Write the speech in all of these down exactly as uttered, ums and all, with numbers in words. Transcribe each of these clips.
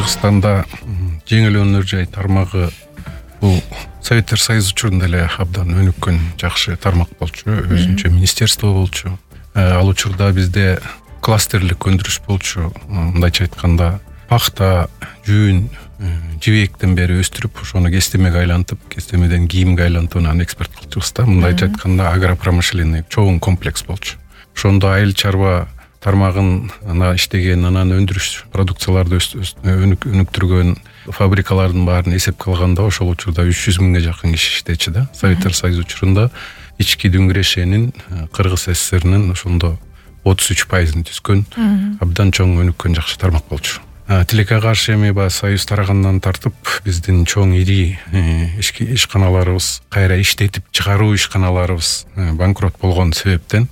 Кыргызстанда жеңил өнөр жай тармагы бул Советтер Союзу учурунда эле абдан өнүккөн жакшы тармак болчу, өзүнчө министерство болчу. Ал учурда бизде кластерлик өндүрүш болчу. Мындайча айтканда, пахта, жүн, жибектен бери өстүрүп, ошону кестемеге айлантып, кестемеден кийимге айлантып, анан экспорт кылчубыз да. Мындайча айтканда, агропромышленный чоң комплекс болчу. Ошондо айыл чарба тармагын ана иштеген, анан өндүрүш продукцияларды өнүктүргөн фабрикалардын баарын эсепке алганда ошол учурда үч жүз миңге жакын киши иштечү да. Советтер Союзу учурунда ички дүңгүрешенин Кыргыз СССРнин ошондо отуз үч пайызын түзгөн абдан чоң өнүккөн жакшы тармак болчу. Тилекке каршы эми баягы Союз тарагандан тартып биздин чоң ири ишканаларыбыз, кайра иштетип чыгаруу ишканаларыбыз банкрот болгон себептен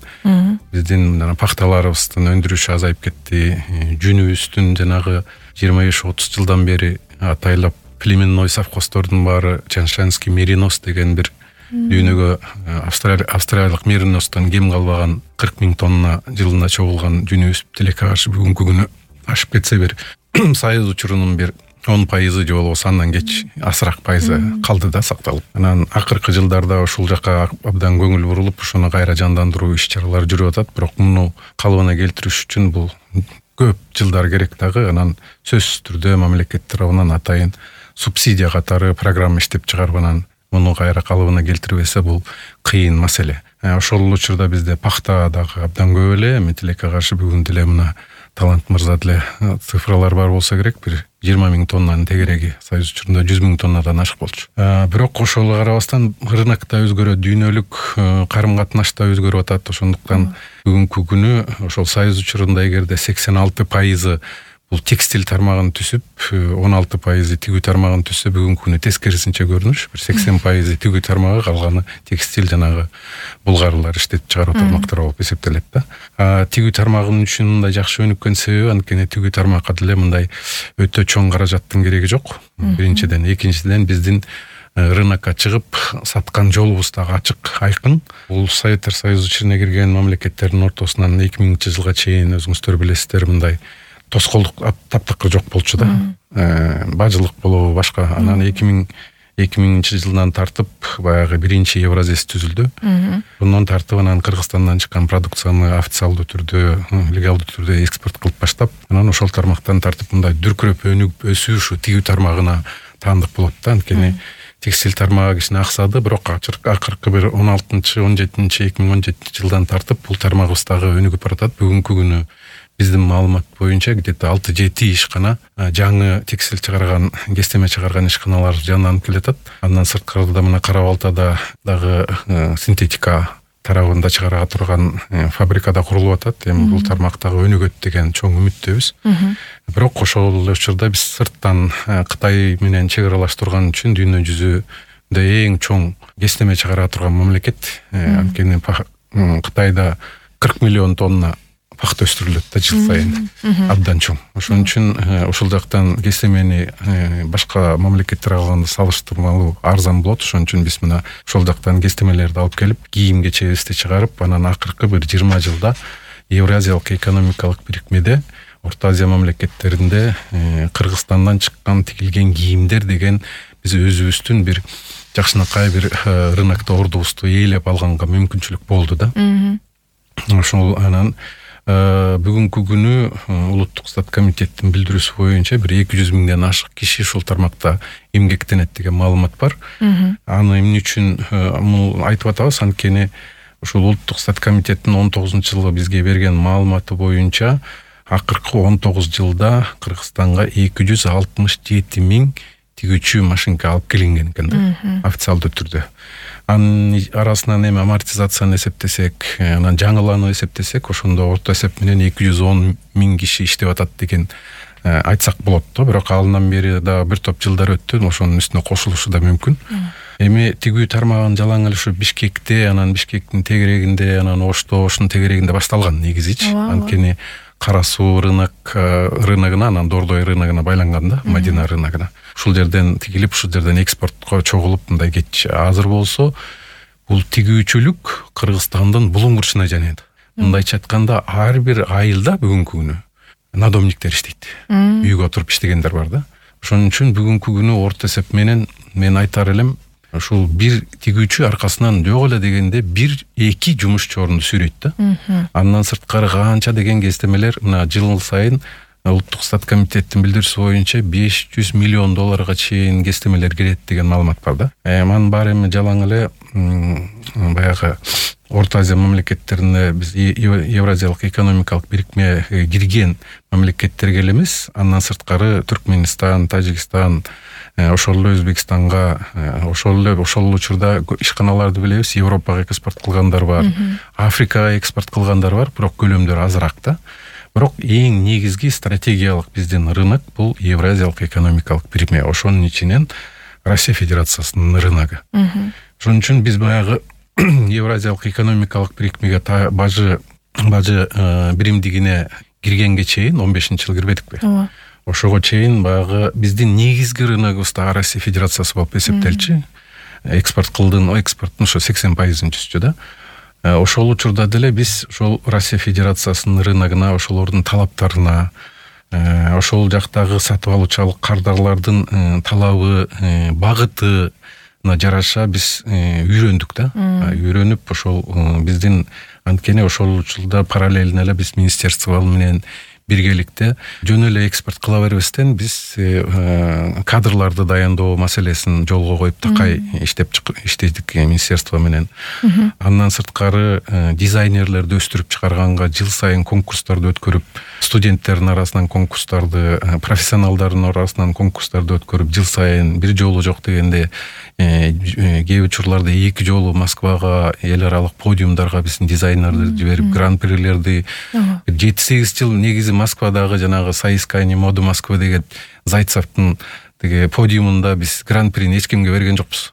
биздин пахталарыбыздын өндүрүшү азайып кетти. Жүнүбүздүн жанагы жыйырма беш отуз жылдан бери атайлап племенной совхоздордун баары Чаншанский меринос деген бир дүйнөгө австралиялык мериностон кем калбаган кырк миң тонна жылына чогулган жүнүбүз тилекке каршы бүгүнкү күнү ашып кетсе бир Союз учурунун бир он пайызы же болбосо андан кеч азыраак пайызы калды да сакталып. Анан акыркы жылдарда ушул жака абдан көңүл бурулуп, ошону кайра жандандыруу иш-чаралары жүрүп атат. Бирок муну калыбына келтириш үчүн бул көп жылдар керек дагы. Анан сөзсүз түрдө мамлекет тарабынан атайын субсидия катары программа иштеп чыгарып, анан муну кайра калыбына келтирбесе бул кыйын маселе. Ошол учурда бизде пахта дагы абдан көп эле. Эми тилекке каршы бүгүн деле мына Талант мырза деле цифралар бар болсо керек, бир жыйырма миң тоннанын тегереги Союз учурунда жүз миң тоннадан ашык болчу. Бирок ошого карабастан рынок да өзгөрөт, дүйнөлүк карым катнаш да өзгөрүп атат. Ошондуктан бүгүнкү күнү ошол Союз учурунда эгерде сексен алты пайызы бул текстиль тармагын түсүп, он алты пайызы тигүү тармагын түсө, бүгүнкү күнү тескерисинче көрүнүш, бир сексен пайызы тигүү тармагы, калганы текстиль жанагы булгарылар иштетип чыгаруу тармактары болуп эсептелет да. Тигүү тармагынын үчүн мындай жакшы өнүккөн себеби, анткени тигүү тармакка деле мындай өтө чоң каражаттын кереги жок. Биринчиден, экинчиден биздин рынокко чыгып саткан жолубуз дагы ачык, айкын. Бул Советтер Союзу ичине кирген мамлекеттердин ортосунан эки миңинчи жылга чейин өзүңүздөр билесиздер, мындай тоскоолдук таптакыр жок болчу да. Бажылык болобу башка. Анан эки миңинчи жылдан тартып баягы биринчи Евразес түзүлдү. Bundan тартып анан Кыргызстандан чыккан продукцияны официалдуу түрдө, легалдуу түрдө экспорт кылып баштап, анан ошол тармактан тартып мындай дүркүрөп өнүгүп өсүү ушу тигүү тармагына таандык болот да. Анткени текстиль тармагы кичине аксады, бирок акыркы бир он алтынчы он жетинчи эки миң он жетинчи жылдан тартып бул тармагыбыз дагы өнүгүп баратат. Бүгүнкү күнү биздин маалымат боюнча где-то алты жети ишкана жаңы текстиль чыгарган, кестеме чыгарган ишканалар жанданып келатат. Андан сырткарыда мына Кара-Балтада дагы синтетика тарабында чыгара турган фабрикада курулуп атат. Эми бул тармактагы өнүгөт деген чоң үмүттөбүз. Бирок ошол учурда биз сырттан Кытай менен чек аралаш турган үчүн дүйнө жүзүндө эң чоң кестеме чыгара турган мамлекет. Анткени Кытайда кырк миллион тонна пахта өстүрүлөт да жыл сайын, абдан чоң. Ошон үчүн ошол жактан кестемени башка мамлекеттерге алганда салыштырмалуу арзан болот. Ошон үчүн биз мына ошол жактан кестемелерди алып келип, кийимге чебизди чыгарып, анан акыркы бир жыйырма жылда Евразиялык экономикалык бирикмеде Орто Азия мамлекеттеринде Кыргызстандан чыккан тигилген кийимдер деген биз өзүбүздүн бир жакшынакай бир рынокто ордубузду ээлеп алганга мүмкүнчүлүк болду да. Ошол анан бүгүнкү күнү улуттук стат комитеттин билдирүүсү боюнча бир эки жүз миңден ашык киши ушул тармакта эмгектенет деген маалымат бар. Аны эмне үчүн муну айтып атабыз? Анткени ушул улуттук стат комитеттин он тогузунчу жылы бизге берген маалыматы боюнча акыркы он тогуз жылда Кыргызстанга эки жүз алтымыш жети миң тигүүчү машинка алып келинген экен да, официалдуу түрдө. Анын арасынан эми амортизацияны эсептесек, анан жаңылануу эсептесек, ошондо орто эсеп менен эки жүз он миң киши иштеп атат деген айтсак болот да. Бирок алынан бери да бир топ жылдар өттү, ошонун үстүнө кошулушу да мүмкүн. Эми тигүү тармагын жалаң эле ушу Бишкекте, анан Бишкектин тегерегинде, анан Ошто, Ошунун тегерегинде башталган негизичи. Анткени Кара суу рынок рыногуна, анан Дордой рыногуна байланган да, Мадина рыногуна. Ушул жерден тигилип, ушул жерден экспортко чогулуп мындай кеч азыр болсо, бул тигүүчүлүк Кыргызстандын булуң бурчуна жанайт. Мындайча айтканда, ар бир айылда бүгүнкү күнү надомниктер иштейт. Үйгө отуруп иштегендер бар да. Ошон үчүн бүгүнкү күнү орто эсеп менен мен айтар элем, ушул бир тигүүчү аркасынан жок эле дегенде бир эки жумушчу орунду сүйрөйт да. Андан сырткары канча деген кестемелер мына жыл сайын Улуттук стат комитеттин билдирүүсү боюнча беш жүз миллион долларга чейин кестемелер кирет деген маалымат бар да. Манын баары эми жалаң эле баягы Орто Азия мамлекеттерине биз Евразиялык экономикалык бирикме кирген мамлекеттерге эле эмес, андан сырткары Түркмөнстан, Тажикстан, ошол эле Өзбекстанга, ошол эле ошол учурда ишканаларды билебиз, Европага экспорт кылгандар бар, Африкага экспорт кылгандар бар, бирок көлөмдөр азыраак да. Бирок эң негизги стратегиялык биздин рынок бул Евразиялык экономикалык бирикме. Ошонун ичинен Россия Федерациясынын рыногу. Ошон үчүн биз баягы Евразиялык экономикалык бирикмеге бажы бажы биримдигине киргенге чейин он бешинчи жыл кирбедикпи? Ооба. Ошого чейин баягы биздин негизги рыногубуз да Россия Федерациясы болуп эсептелчү. Экспорт кылдын, экспорттун ошо сексен пайызын түздү да. Ошол учурда деле биз ошол Россия Федерациясынын рыногуна, ошолордун талаптарына, ошол жактагы сатып алуучу кардарлардын талабы, багыты жараша биз үйрөндүк да. Үйрөнүп ошол биздин анткени ошол учурда параллельно эле биз министерство менен биргеликте жөн эле экспорт кыла бербестен биз кадрларды даяндоо маселесин жолго коюп такай иштеп иштедик министерство менен. Андан сырткары дизайнерлерди өстүрүп чыгарганга жыл сайын конкурстарды өткөрүп, студенттердин арасынан конкурстарды, профессионалдардын арасынан конкурстарды өткөрүп, жыл сайын бир жолу жок дегенде кээ учурларда эки жолу Москвага, эл аралык подиумдарга биздин дизайнерлерди жиберип, гран-прилерди жети сегиз жыл негизи Москвадагы жанагы Соискание моды Москва деген Зайцевдин теге подиумунда биз гран-прини эч кимге берген жокпуз.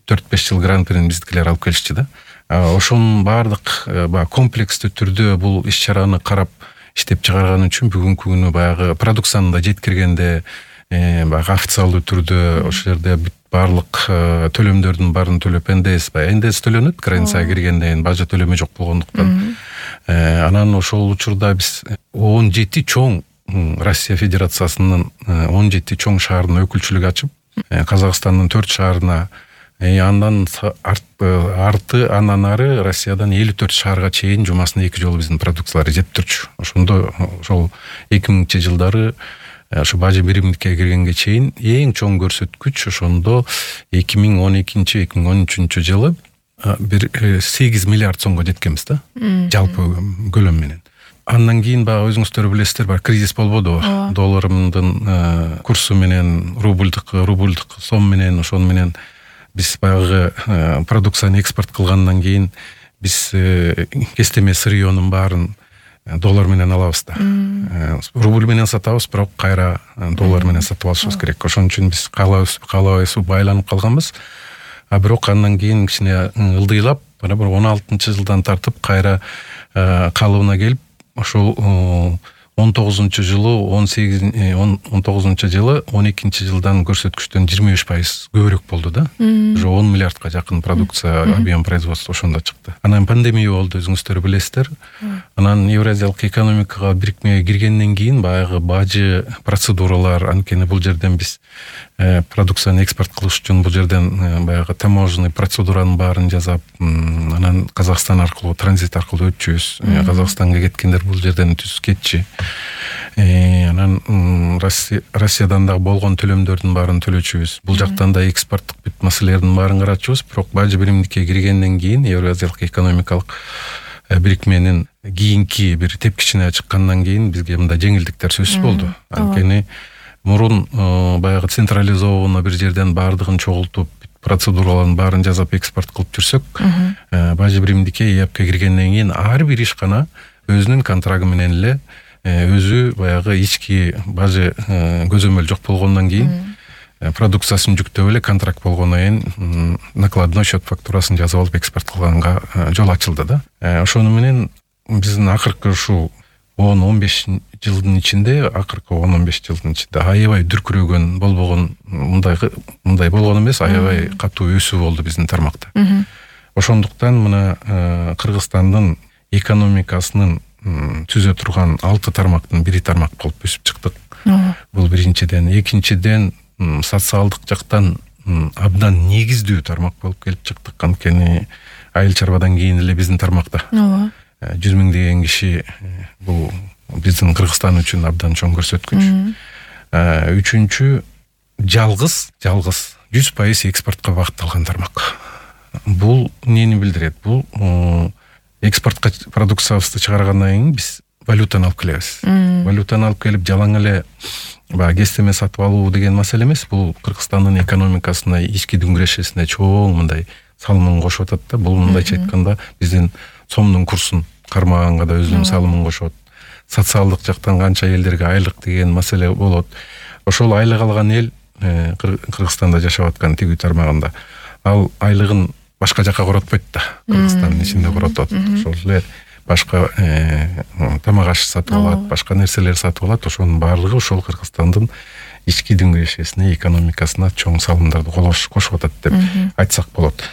төрт беш жыл гран-прини биздикилер алып келишти да. Ошонун баардык комплекстүү түрдө бул иш-чараны карап иштеп чыгарган үчүн бүгүнкү күнү баягы продукцияны да жеткиргенде баягы официалдуу түрдө ошол жерде баардык төлөмдөрдүн баарын төлөп эн дэ эс эн дэ эс төлөнөт границага киргенден кийин бажа төлөмө жок болгондуктан. Анан ошол учурда биз он жети чоң Россия Федерациясынын он жети чоң шаарына өкүлчүлүк ачып, Казакстандын төрт шаарына, андан арты андан ары Россиядан элүү төрт шаарга чейин жумасына эки жолу биздин продукциялар жетип турчу. Ошондо ошол эки миңинчи жылдары ошо бажы биримдикке киргенге чейин эң чоң көрсөткүч ошондо эки миң он экинчи эки миң он үчүнчү жылы бир сегиз миллиард сомго жеткенбиз да, жалпы көлөм менен. Андан кийин баягы өзүңүздөр билесиздер, бар кризис болбодубу? Долларымдын курсу менен, рубльдык, рубльдык сом менен, ошон менен биз баягы продукцияны экспорт кылгандан кийин биз кестеме сырьёнун баарын доллар менен алабыз да. Рубль менен сатабыз, бирок кайра доллар менен сатып алышыбыз керек. Ошон үчүн биз калабыз байланып калганбыз. А бирок андан кийин кичине ылдыйлап, бир он алтынчы жылдан тартып кайра калыбына келип, ошол он тогузунчу жылы, он сегиз он тогузунчу жылы он экинчи жылдан көрсөткүчтөн жыйырма беш пайыз көбүрөөк болду да. Уже он миллиардка жакын продукция объем производства ошондо чыкты. Анан пандемия болду, өзүңүздөр билесиздер. Анан Евразиялык экономикага бирикмеге киргенден кийин баягы бажы процедуралар, анткени бул жерден биз продукцияны экспорт кылыш үчүн бул жерден баягы таможенный процедуранын баарын жасап, анан Казакстан аркылуу, транзит аркылуу өтчүбүз. Казакстанга кеткендер бул жерден түз кетчи. Анан Россиядан да болгон төлөмдөрдүн баарын төлөчүбүз. Бул жактан да экспорттук бүт маселелердин баарын карачубуз. Бирок бажы биримдикке киргенден кийин Евразиялык экономикалык бирикменин кийинки бир тепкичине чыккандан кийин бизге мындай жеңилдиктер сөзсүз болду. Анткени мурун баягы централизованно бир жерден баардыгын чогултуп, процедураларын баарын жасап экспорт кылып жүрсөк, бажы биримдикке ЭАПке киргенден кийин ар бир ишкана өзүнүн контрагы менен эле өзү баягы ички бажы көзөмөл жок болгондон кийин продукциясын жүктөп эле контракт болгондон кийин накладной счет фактурасын жазып алып экспорт кылганга жол ачылды да. Ошону менен биздин акыркы ушул он он беш жылдын ичинде, акыркы он он беш жылдын ичинде аябай дүркүрөгөн болбогон, мындай мындай болгон эмес, аябай катуу өсүү болду биздин тармакта. Ошондуктан мына Кыргызстандын экономикасынын түзө турган алты тармактын бири тармак болуп өсүп чыктык. Бул биринчиден. Экинчиден, социалдык жактан абдан негиздүү тармак болуп келип чыктык. Анткени айыл чарбадан кийин эле биздин тармакта жүз миң деген киши, бул биздин Кыргызстан үчүн абдан чоң көрсөткүч. Үчүнчү, жалгыз, жалгыз жүз пайыз экспортко багытталган тармак. Бул эмнени билдирет? Бул экспортко продукциябызды чыгаргандан кийин биз валютаны алып келебиз. Валютаны алып келип жалаң эле баягы кестеме сатып алуу деген маселе эмес. Бул Кыргызстандын экономикасына, ички дүңгүрөшүнө чоң мындай салымын кошуп атат да. Бул мындайча айтканда биздин сомдун курсун кармаганга да өзүнүн салымын кошот. Социалдык жактан канча элдерге айлык деген маселе болот. Ошол айлык алган эл Кыргызстанда жашап аткан тигүү тармагында ал айлыгын башка жака коротпойт да. Кыргызстандын ичинде коротот. Ошол эле башка тамак аш сатып алат, башка нерселер сатып алат. Ошонун баардыгы ошол Кыргызстандын ички дүңгүрөшүнө, экономикасына чоң салымдарды кошуп атат деп айтсак болот.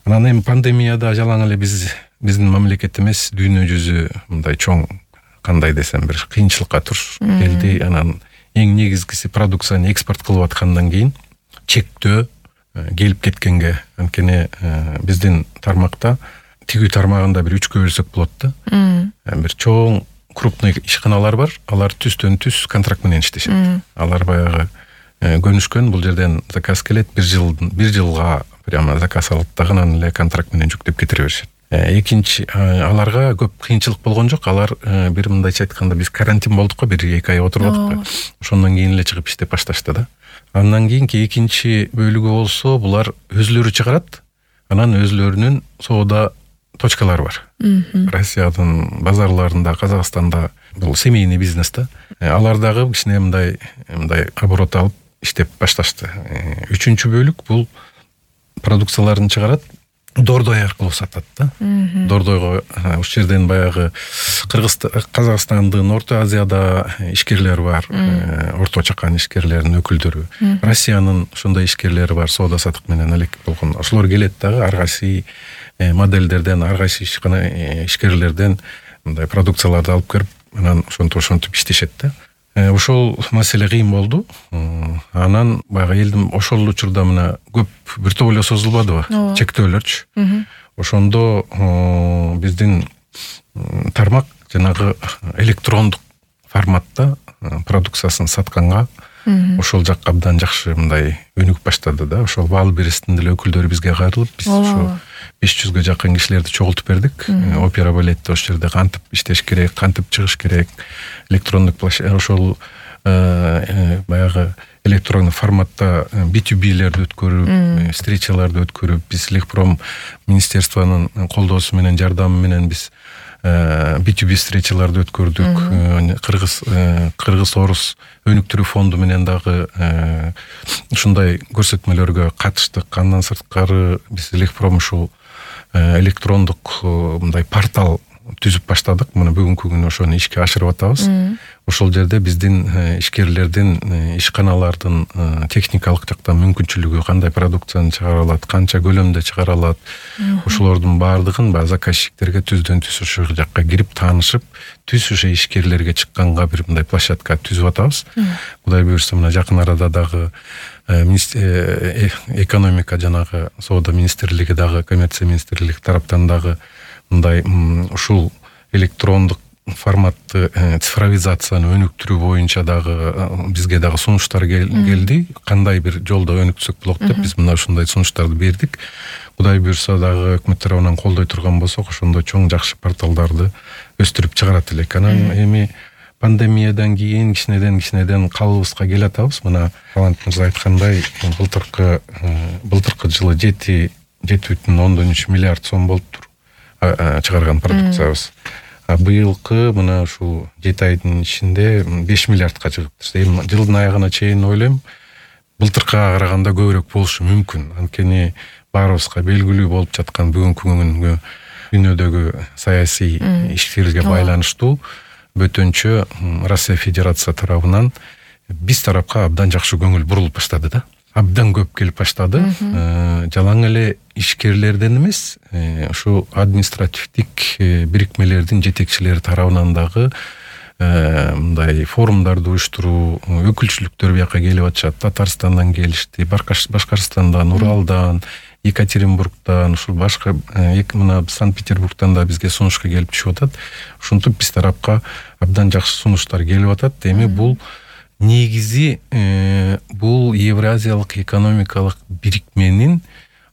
Анан эми пандемияда жалаң эле биз биздин мамлекет эмес, дүйнө жүзү мындай чоң, кандай десем, бир кыйынчылыкка туш келди. Анан эң негизгиси продукцияны экспорт кылып аткандан кийин чектөө келип кеткенге. Анткени биздин тармакта тигүү тармагында бир үчкө бөлсөк болот да. Бир чоң крупный ишканалар бар. Алар түстөн түз контракт менен иштешет. Алар баягы көнүшкөн, бул жерден заказ келет, бир жыл бир жылга прямо заказ алат да, анан эле контракт менен жүктөп кетире беришет. Экинчи, аларга көп кыйынчылык болгон жок. Алар бир мындайча айтканда биз карантин болдук го, бир эки ай отурдук. Ошондон кийин эле чыгып иштеп башташты да. Андан кийинки экинчи бөлүгү болсо, булар өзүлөрү чыгарат. Анан өзүлөрүнүн соода точкалары бар. Россиянын базарларында, Казакстанда бул семейный бизнес да. Алар дагы кичине мындай мындай оборот алып иштеп башташты. Үчүнчү бөлүк бул продукцияларын чыгарат, Дордой аркылуу сатат да. Дордойго ушул жерден баягы Казакстандын, Орто Азияда ишкерлер бар, орто чакан ишкерлердин өкүлдөрү. Россиянын ошондой ишкерлери бар, соода сатык менен элек болгон. Ошолор келет дагы ар кайсы модельдерден, ар кайсы ишкерлерден мындай продукцияларды алып келип, анан ошентип ошентип иштешет да. Ошол маселе кыйын болду. Анан баягы элдин ошол учурда мына көп бир топ эле созулбадыбы? Чектөөлөрчү. Ошондо биздин тармак жанагы электрондук форматта продукциясын сатканга ошол жак абдан жакшы мындай өнүгүп баштады да. Ошол Валберестин деле өкүлдөрү бизге кайрылып, биз ошо беш жүзгө жакын кишилерди чогултуп бердик. Опера балетте ошол жерде кантип иштеш керек, кантип чыгыш керек, электрондук ошол баягы электрондук форматта би ту билерди өткөрүп, встречаларды өткөрүп, биз Лехпром министерствонун колдоосу менен, жардамы менен биз би ту би встречаларды өткөрдүк. Кыргыз Кыргыз Орус өнүктүрүү фонду менен дагы ушундай көрсөтмөлөргө катыштык. Андан сырткары биз Лехпром ушул электрондук мындай портал түзүп баштадык. Мына бүгүнкү күнү ошону ишке ашырып атабыз. Ошол жерде биздин ишкерлердин, ишканалардын техникалык жактан мүмкүнчүлүгү, кандай продукцияны чыгара алат, канча көлөмдө чыгара алат, ошолордун баардыгын баягы заказчиктерге түздөн түз ошол жакка кирип таанышып, түз ошо ишкерлерге чыкканга бир мындай площадка түзүп атабыз. Кудай буюрса, мына жакын арада дагы экономика жанагы соода министрлиги дагы, коммерция министрлиги тараптан дагы мындай ушул электрондук форматты цифровизацияны өнүктүрүү боюнча дагы бизге дагы сунуштар келди. Кандай бир жолдо өнүксөк болот деп биз мына ушундай сунуштарды бердик. Кудай буюрса дагы өкмөт тарабынан колдой турган болсок, ошондой чоң жакшы порталдарды өстүрүп чыгарат элек. Анан эми пандемиядан кийин кичинеден кичинеден калыбыбызга келе атабыз. Мына Талант мырза айткандай, былтыркы былтыркы жылы жети бүтүн ондон үч миллиард сом болуптур чыгарган продукциябыз. А быйылкы мына ушул жети айдын ичинде беш миллиардка чыгыптыр. Эми жылдын аягына чейин ойлойм, былтыркыга караганда көбүрөөк болушу мүмкүн. Анткени баарыбызга белгилүү болуп жаткан бүгүнкү күнгө дүйнөдөгү саясий иштерге байланыштуу бөтөнчө Россия Федерация тарабынан биз тарапка абдан жакшы көңүл бурулуп баштады да. абдан көп келип баштады. Жалаң эле ишкерлерден эмес, ушу административдик бирикмелердин жетекчилери тарабынан дагы мындай форумдарды уюштуруу, өкүлчүлүктөр бияка келип атышат. Татарстандан келишти, Башкырстандан, Уралдан, Екатеринбургдан, ушул башка мына Санкт-Петербургдан да бизге сунушка келип түшүп атат. Ушинтип биз тарапка абдан жакшы сунуштар келип атат. Эми бул негизи бул Евразиялык экономикалык бирикменин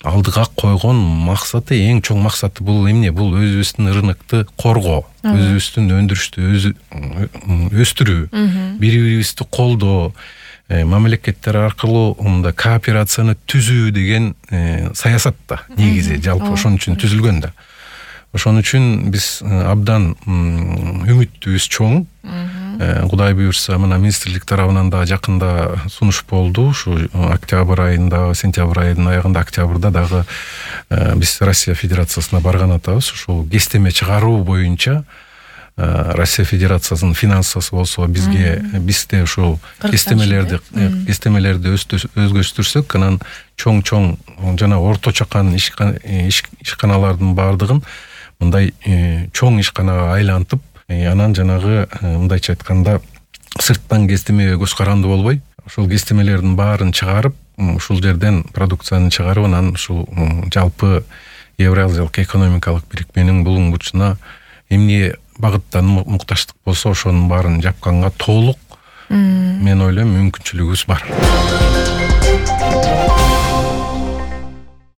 алдыга койгон максаты, эң чоң максаты бул эмне? Бул өзүбүздүн рынокты коргоо, өзүбүздүн өндүрүштү өстүрүү, бири-бирибизди колдоо, мамлекеттер аркылуу мындай кооперацияны түзүү деген саясат да негизи жалпы ошон үчүн түзүлгөн да. Ошон үчүн биз абдан үмүтүбүз чоң. Кудай буюрса, мына министрлик тарабынан да жакында сунуш болду. Ушу октябрь айында, сентябрь айынын аягында, октябрда дагы биз Россия Федерациясына барган атабыз. Ушул кестеме чыгаруу боюнча Россия Федерациясынын финансысы болсо бизге бизде ушул кестемелерди кестемелерди өзгөртүрсөк, анан чоң-чоң жана орто чакан ишканалардын баардыгын мындай чоң ишканага айлантып, анан жанагы мындайча айтканда сырттан кестемеге көз каранды болбой, ушул кестемелердин баарын чыгарып, ушул жерден продукцияны чыгарып, анан ушул жалпы Евразиялык экономикалык бирикменин булунгучуна эмне багыттан мукташтык болсо ошонун баарын жапканга толук мен ойлойм мүмкүнчүлүгүбүз бар.